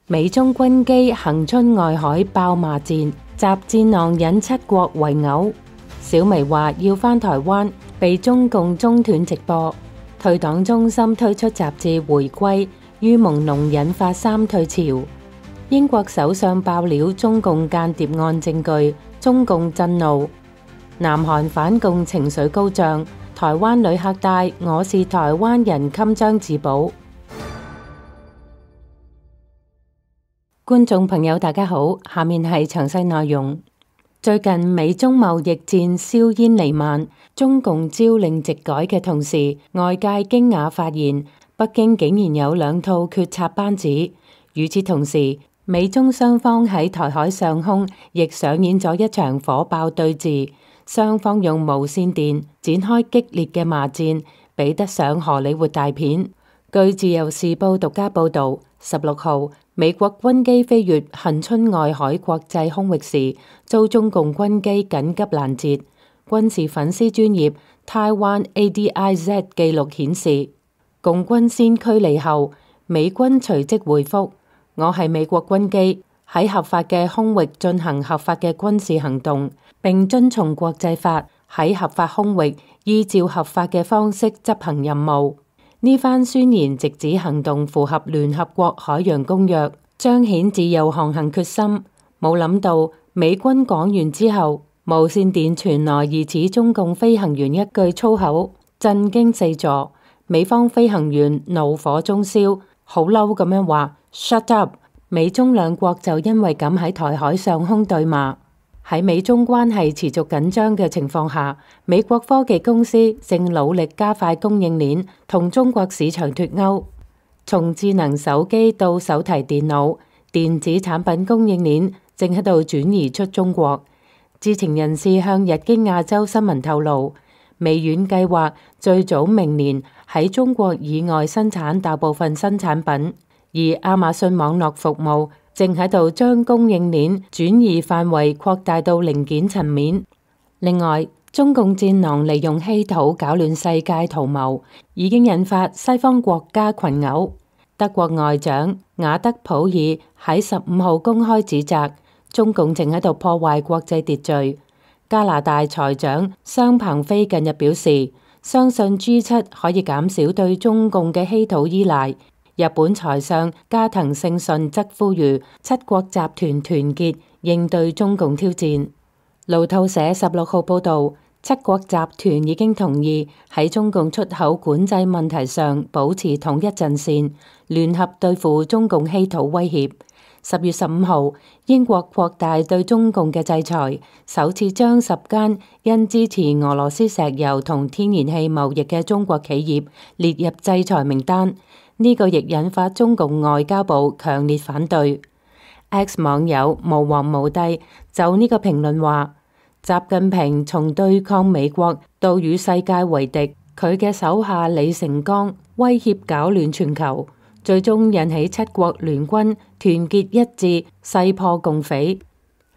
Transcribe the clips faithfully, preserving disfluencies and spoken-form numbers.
美中軍機恆春外海爆罵戰，習戰狼引七國圍毆。小薇話要返台灣，被中共中斷直播。退黨中心推出雜誌回歸，於朦朧引發三退潮。英國首相爆料中共間諜案證據，中共震怒。南韓反共情緒高漲，台灣旅客帶我是台灣人襟章自保。觀眾朋友大家好，下面係詳細內容。最近美中貿易戰硝煙彌漫，中共朝令夕改嘅同時，外界驚訝發現北京竟然有兩套決策班子。與此同時，美中雙方喺台海上空亦上演咗一場火爆對峙，雙方用無線電展開激烈嘅罵戰，比得上荷里活大片。據自由時報獨家報道，十六號美國軍機飛越恆春外海國際空域時，遭中共軍機緊急攔截。軍事粉絲專頁 Taiwan A D I Z 記錄顯示，共軍先驅離後，美軍隨即回覆：我係美國軍機，喺合法嘅空域進行合法嘅軍事行動，並遵從國際法，喺合法空域依照合法嘅方式執行任務。呢番宣言直指行動符合聯合國海洋公約，彰顯自由航行決心。冇諗到美軍講完之後，無線電傳來疑似中共飛行員一句粗口，震驚四座。美方飛行員怒火中燒，好嬲咁樣話 Shut up！ 美中兩國就因為咁喺台海上空對罵。喺美中關係持續緊張嘅情況下，美國科技公司正努力加快供應鏈，同中國市場脫鈎。從智能手機到手提電腦，電子產品供應鏈正喺度轉移出中國。知情人士向日經亞洲新聞透露，微軟計劃最早明年喺中國以外生產大部分新產品，而亞馬遜網絡服務正喺度將供應鏈轉移範圍擴大到零件層面。另外，中共戰狼利用稀土搞亂世界圖謀，已經引發西方國家群毆。德國外長雅德普爾喺十五號公開指責中共正喺度破壞國際秩序。加拿大財長商鵬飛近日表示，相信 G 七可以減少對中共嘅稀土依賴。日本財相加藤勝信則呼籲七國集團團結應對中共挑戰。路透社十六號報道，七國集團已經同意喺中共出口管制問題上保持統一陣線，聯合對付中共稀土威脅。十月十五號，英國擴大對中共嘅制裁，首次將十間因支持俄羅斯石油同天然氣貿易嘅中國企業列入制裁名單。呢個亦引發中共外交部強烈反對。X 網友無王無帝就呢個評論話：習近平從對抗美國到與世界為敵，佢嘅手下李成鋼威脅搞亂全球，最終引起七國聯軍團結一致，勢破共匪。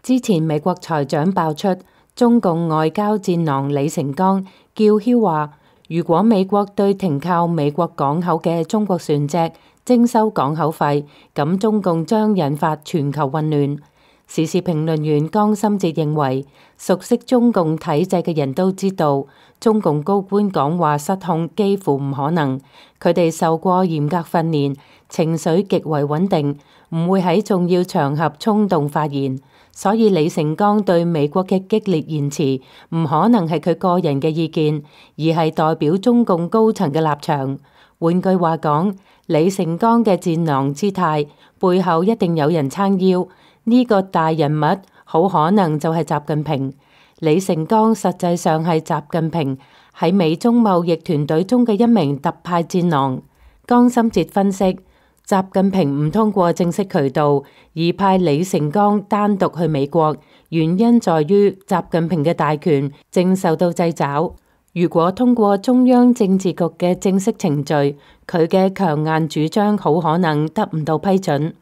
之前美國財長爆出中共外交戰狼李成鋼叫囂話，如果美國對停靠美國港口嘅中國船隻徵收港口費，咁中共將引發全球混亂。時事評論員江心哲認為，熟悉中共體制嘅人都知道，中共高官講話失控幾乎唔可能。佢哋受過嚴格訓練，情緒極為穩定，唔會喺重要場合衝動發言。所以李成鋼對美國嘅激烈言辭唔可能係佢個人嘅意見，而係代表中共高層嘅立場。換句話講，李成鋼嘅戰狼姿態背後一定有人撐腰，呢個大人物好可能就係習近平。李成鋼實際上係習近平喺美中貿易團隊中嘅一名特派戰狼。江心哲分析，習近平唔通過正式渠道而派李成鋼單獨去美國，原因在於習近平嘅大權正受到掣肘。如果通過中央政治局嘅正式程序，佢嘅強硬主張好可能得唔到批准。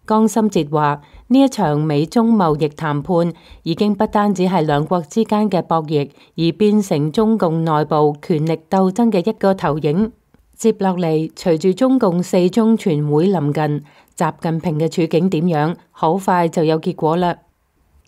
江心哲話：呢一場美中貿易談判已經不單止係兩國之間嘅博弈，而變成中共內部權力鬥爭嘅一個投影。接落嚟，隨住中共四中全會臨近，習近平嘅處境點樣，好快就有結果啦。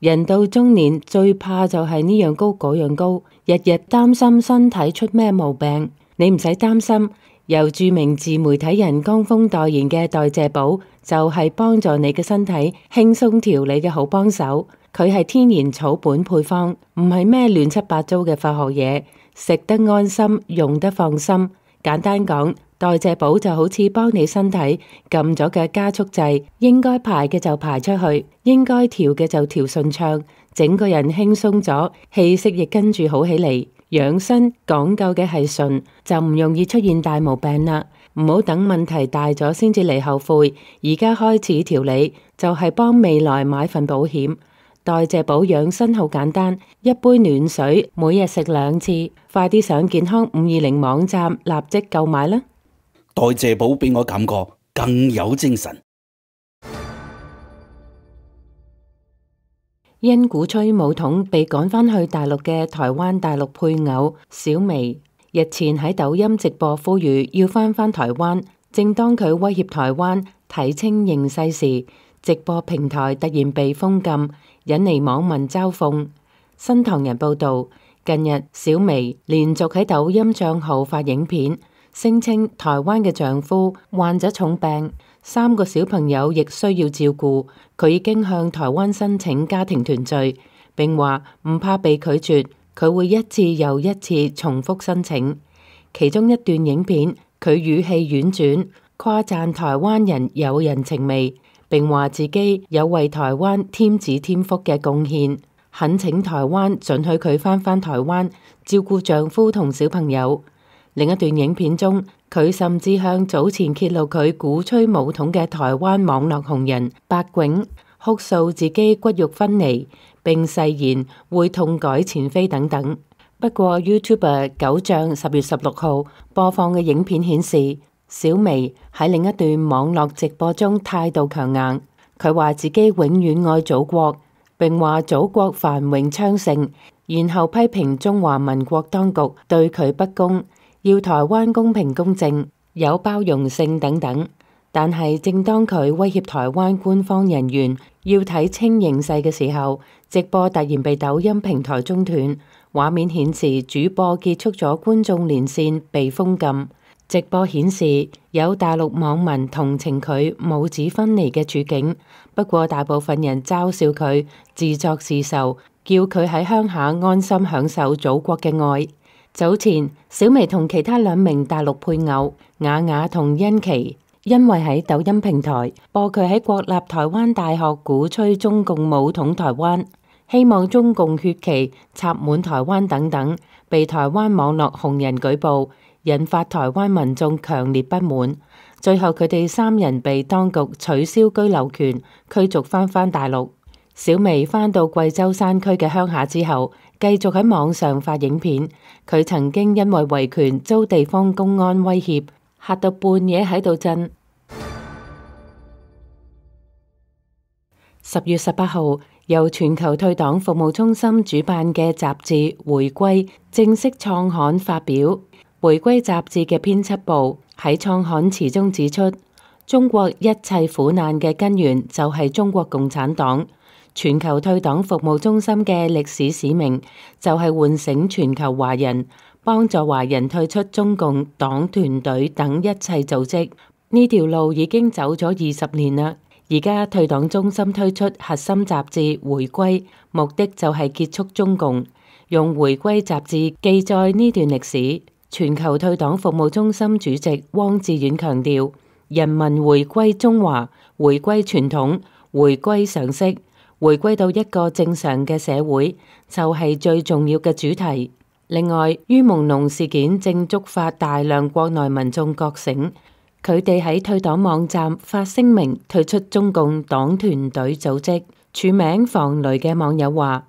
人到中年最怕就係呢樣高嗰樣高，日日擔心身體出咩毛病。你唔使擔心，由著名自媒體人江峰代言嘅代謝寶就係幫助你嘅身體輕鬆調理嘅好幫手。佢係天然草本配方，唔係咩亂七八糟嘅化學嘢，食得安心，用得放心。簡單講，代謝寶就好似幫你身體撳咗嘅加速掣，應該排嘅就排出去，應該調嘅就調順暢，整個人輕鬆咗，氣息亦跟住好起嚟。養生講究嘅係順，就唔容易出現大毛病啦。唔好等問題大咗先至嚟後悔，而家開始調理就係幫未來買份保險。代謝寶養生好簡單，一杯暖水，每日食兩次。快啲上健康五二零網站立即購買啦！代謝寶俾我感覺更有精神。因鼓吹武統被趕返去大陸嘅台灣大陸配偶小薇，日前喺抖音直播呼籲要返返台灣。正當佢威脅台灣睇清形勢時，直播平台突然被封禁，引嚟網民嘲諷。新唐人報道，近日小薇連續喺抖音賬號發影片，聲稱台灣嘅丈夫患咗重病，三個小朋友亦需要照顧，佢已經向台灣申請家庭團聚，並話唔怕被拒絕，佢會一次又一次重複申請。其中一段影片，佢語氣婉轉，誇讚台灣人有人情味，並話自己有為台灣添子添福嘅貢獻，懇請台灣准許佢返返台灣照顧丈夫同小朋友。另一段影片中，佢甚至向早前揭露佢鼓吹武統嘅台灣網絡紅人白囧哭訴自己骨肉分離，並誓言會痛改前非等等。不過 YouTuber 九醬十月十六號播放嘅影片顯示，小薇喺另一段網絡直播中態度強硬，佢話自己永遠愛祖國，並話祖國繁榮昌盛，然後批評中華民國當局對佢不公，要台灣公平公正、有包容性等等。但係正當佢威脅台灣官方人員要睇清形勢嘅時候，直播突然被抖音平台中斷，畫面顯示主播結束咗觀眾連線被封禁。直播顯示有大陸網民同情佢母子分離嘅處境，不過大部分人嘲笑佢自作自受，叫佢喺鄉下安心享受祖國嘅愛。早前小薇同其他兩名大陸配偶雅雅同欣琪，因為喺抖音平台播佢喺國立台灣大學鼓吹中共武統台灣，希望中共血旗插滿台灣等等，被台灣網絡紅人舉報，引發台灣民眾強烈不滿。最後佢哋三人被當局取消居留權，驅逐返返大陸。小薇返到貴州山區嘅鄉下之後，繼續喺網上發影片。佢曾經因為維權遭地方公安威脅，嚇到半夜喺度震。十月十八號，由全球退黨服務中心主辦嘅雜誌《回歸》正式創刊發表。《回歸》雜誌嘅編輯部喺創刊詞中指出，中國一切苦難嘅根源就係中國共產黨。全球退黨服務中心嘅歷史使命就係喚醒全球華人，幫助華人退出中共黨團隊等一切組織。呢條路已經走咗二十年啦。而家退黨中心推出核心雜誌《回歸》，目的就係結束中共，用《回歸》雜誌記載呢段歷史。全球退黨服務中心主席汪志遠強調，人民回歸中華，回歸傳統，回歸常識，回歸到一個正常嘅社會，就係最重要嘅主題。另外，于朦朧事件正觸發大量國內民眾覺醒，佢哋喺退黨網站發聲明退出中共黨團隊組織。署名防雷嘅網友話，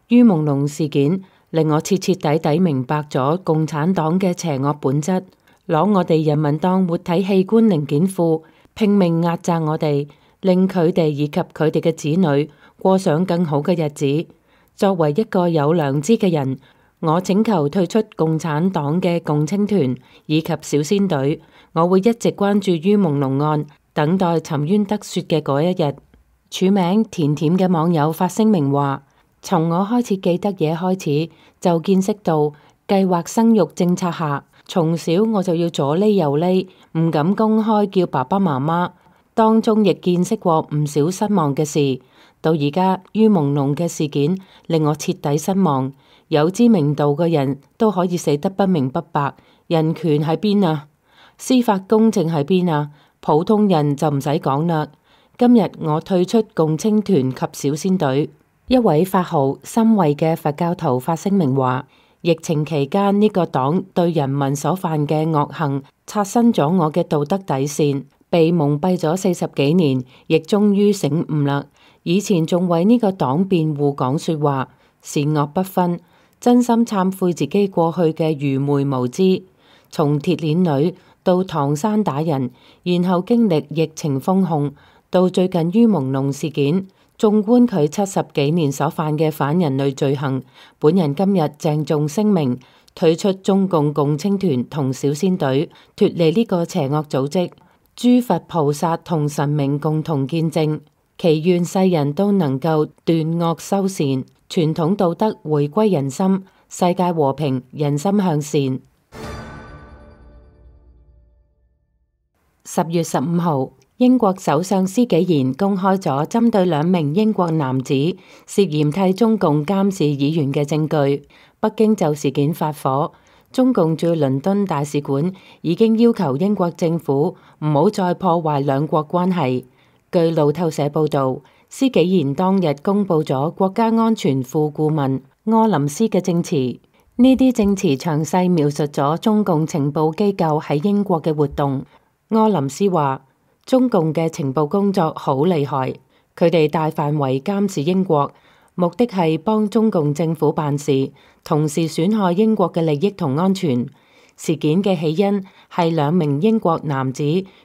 于朦朧事件令我徹徹底底明白咗共產黨嘅邪惡本質，攞我哋人民當活體器官零件庫，拼命壓榨我哋，令佢哋以及佢哋嘅子女過上更好嘅日子。作為一個有良知嘅人，我請求退出共產黨嘅共青團以及小仙隊，我會一直關注於朦朧案，等待沉冤得雪嘅嗰一日。署名甜甜嘅網友發聲明話：從我開始記得嘢開始，就見識到計劃生育政策下，從小我就要左匿右匿，唔敢公開叫爸爸媽媽。當中亦見識過唔少失望嘅事，到而家於朦朧嘅事件令我徹底失望。有知名度嘅人都可以死得不明不白，人權喺邊啊？司法公正喺邊啊？普通人就唔使講啦。今日我退出共青團及小仙隊。一位法號心慧嘅佛教徒發聲明話：疫情期間呢個黨對人民所犯嘅惡行，刷新咗我嘅道德底線。被蒙蔽咗四十幾年，亦終於醒悟啦。以前仲為呢個黨辯護講說話，善惡不分，真心懺悔自己過去嘅愚昧無知。從鐵鏈女到唐山打人，然後經歷疫情封控，到最近於朦朧事件，縱觀佢七十幾年所犯嘅反人類罪行，本人今日鄭重聲明，退出中共共青團同小仙隊，脫離呢個邪惡組織。諸佛菩薩同神明共同見證，祈願世人都能夠斷惡修善，傳統道德回歸人心，世界和平，人心向善。十月十五號，英國首相施紀賢公開咗針對兩名英國男子涉嫌替中共監視議員嘅證據。北京就事件發火。中共駐倫敦大使館已經要求英國政府唔好再破壞兩國關係。據路透社報導，施紀賢當日公佈咗國家安全副顧問柯林斯嘅證詞，呢啲證詞詳細描述咗中共情報機構喺英國嘅活動。柯林斯話：中共嘅情報工作好厲害，佢哋大範圍監視英國，目的係幫中共政府辦事，同時損害英國嘅利益同安全。事件嘅起因係兩名英國男子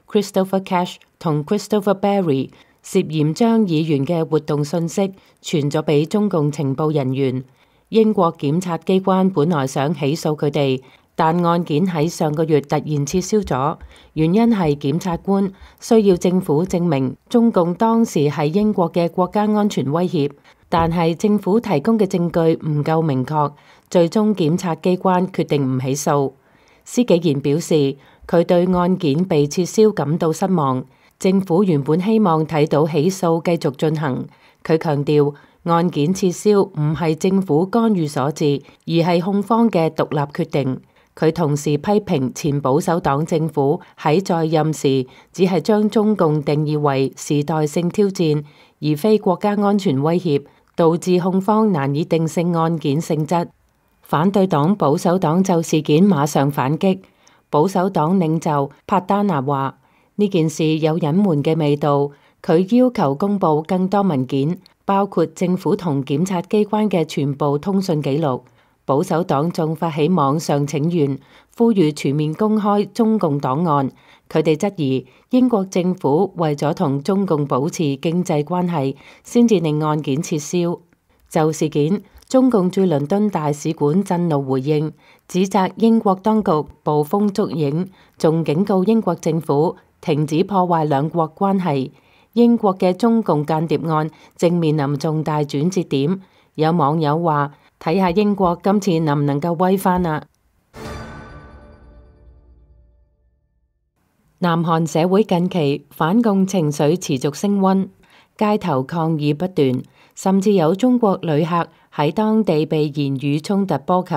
Christopher Cash 同 Christopher Barry 涉嫌將議員嘅活動信息傳咗俾中共情報人員。英國檢察機關本來想起訴佢哋，但案件喺上個月突然撤銷咗，原因係檢察官需要政府證明中共當時係英國嘅國家安全威脅。但係政府提供嘅證據唔夠明確，最終檢察機關決定唔起訴。施紀賢表示，佢對案件被撤銷感到失望。政府原本希望睇到起訴繼續進行。佢強調，案件撤銷唔係政府干預所致，而係控方嘅獨立決定。佢同時批評前保守黨政府喺在，在任時只係將中共定義為時代性挑戰，而非國家安全威脅，導致控方難以定性案件性質。反對黨保守黨就事件馬上反擊。保守黨領袖帕丹拿話：呢件事有隱瞞嘅味道。佢要求公佈更多文件，包括政府同檢察機關嘅全部通訊記錄。保守黨仲發起網上請願，呼籲全面公開中共檔案。佢哋質疑英國政府為咗同中共保持經濟關係，先至令案件撤銷。就事件，中共駐倫敦大使館震怒回應，指責英國當局捕風捉影，仲警告英國政府停止破壞兩國關係。英國嘅中共間諜案正面臨重大轉折點。有網友話：睇下英國今次能唔能夠威返啊！南韓社會近期反共情緒持續升溫，街頭抗議不斷，甚至有中國旅客喺當地被言語衝突波及。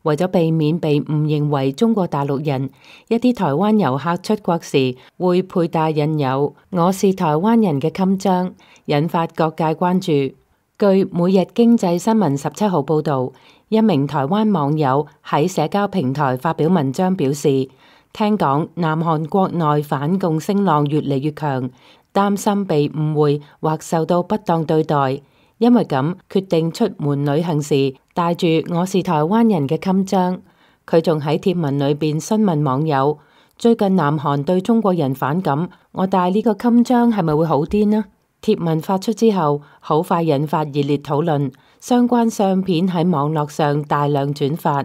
為咗避免被誤認為中國大陸人，一啲台灣遊客出國時會佩戴印有「我是台灣人」嘅襟章，引發各界關注。據每日經濟新聞十七號報導，一名台灣網友喺社交平台發表文章表示，聽講南韓國內反共聲浪越嚟越強，擔心被誤會或受到不當對待，因為咁決定出門旅行時帶住我是台灣人嘅襟章。佢仲喺貼文裏邊詢問網友：最近南韓對中國人反感，我帶呢個襟章係咪會好啲呢？貼文發出之後，好快引發熱烈討論，相關相片喺網絡上大量轉發。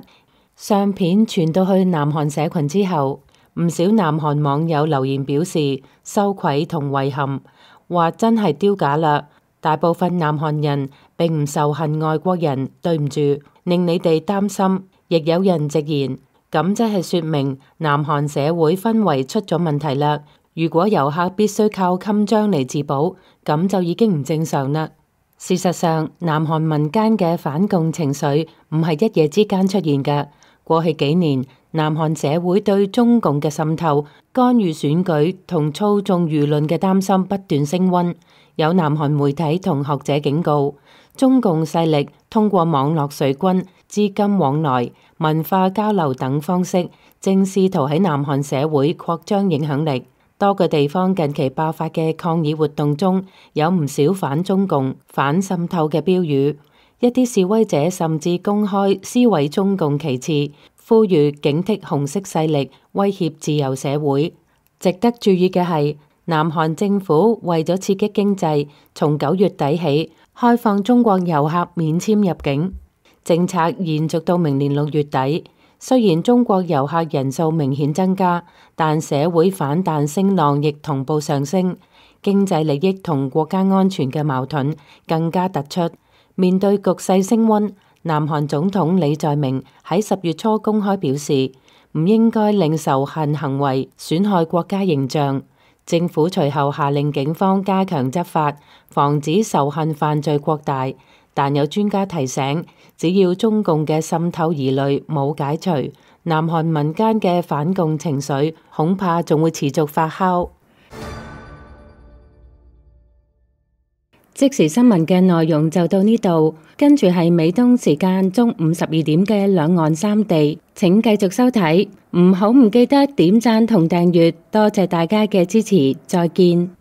相片傳到去南韓社群之後，唔少南韓網友留言表示羞愧同遺憾，話真係丟架啦！大部分南韓人並唔仇恨外國人，對唔住，令你哋擔心。亦有人直言，咁即係說明南韓社會氛圍出咗問題啦。如果遊客必須靠襟章嚟自保，咁就已經唔正常啦。事實上，南韓民間嘅反共情緒唔係一夜之間出現嘅。過去幾年，南韓社會對中共嘅滲透、干預選舉同操縱輿論嘅擔心不斷升溫。有南韓媒體同學者警告，中共勢力通過網絡水軍、資金往來、文化交流等方式，正試圖喺南韓社會擴張影響力。多個地方近期爆發嘅抗議活動中，有唔少反中共、反滲透嘅標語。一啲示威者甚至公開撕毀中共旗幟，呼籲警惕紅色勢力威脅自由社會。值得注意嘅係，南韓政府為咗刺激經濟，從九月底起開放中國遊客免簽入境，政策延續到明年六月底。雖然中國遊客人數明顯增加，但社會反彈聲浪亦同步上升，經濟利益同國家安全嘅矛盾更加突出。面對局勢升溫，南韓總統李在明喺十月初公開表示，唔應該令仇恨行為損害國家形象。政府隨後下令警方加強執法，防止仇恨犯罪擴大。但有專家提醒，只要中共嘅滲透疑慮冇解除，南韓民間嘅反共情緒恐怕仲會持續發酵。即時新聞嘅內容就到呢度，跟住係美東時間中午十二點嘅兩岸三地，請繼續收睇，唔好唔記得點讚同訂閱，多謝大家嘅支持，再見。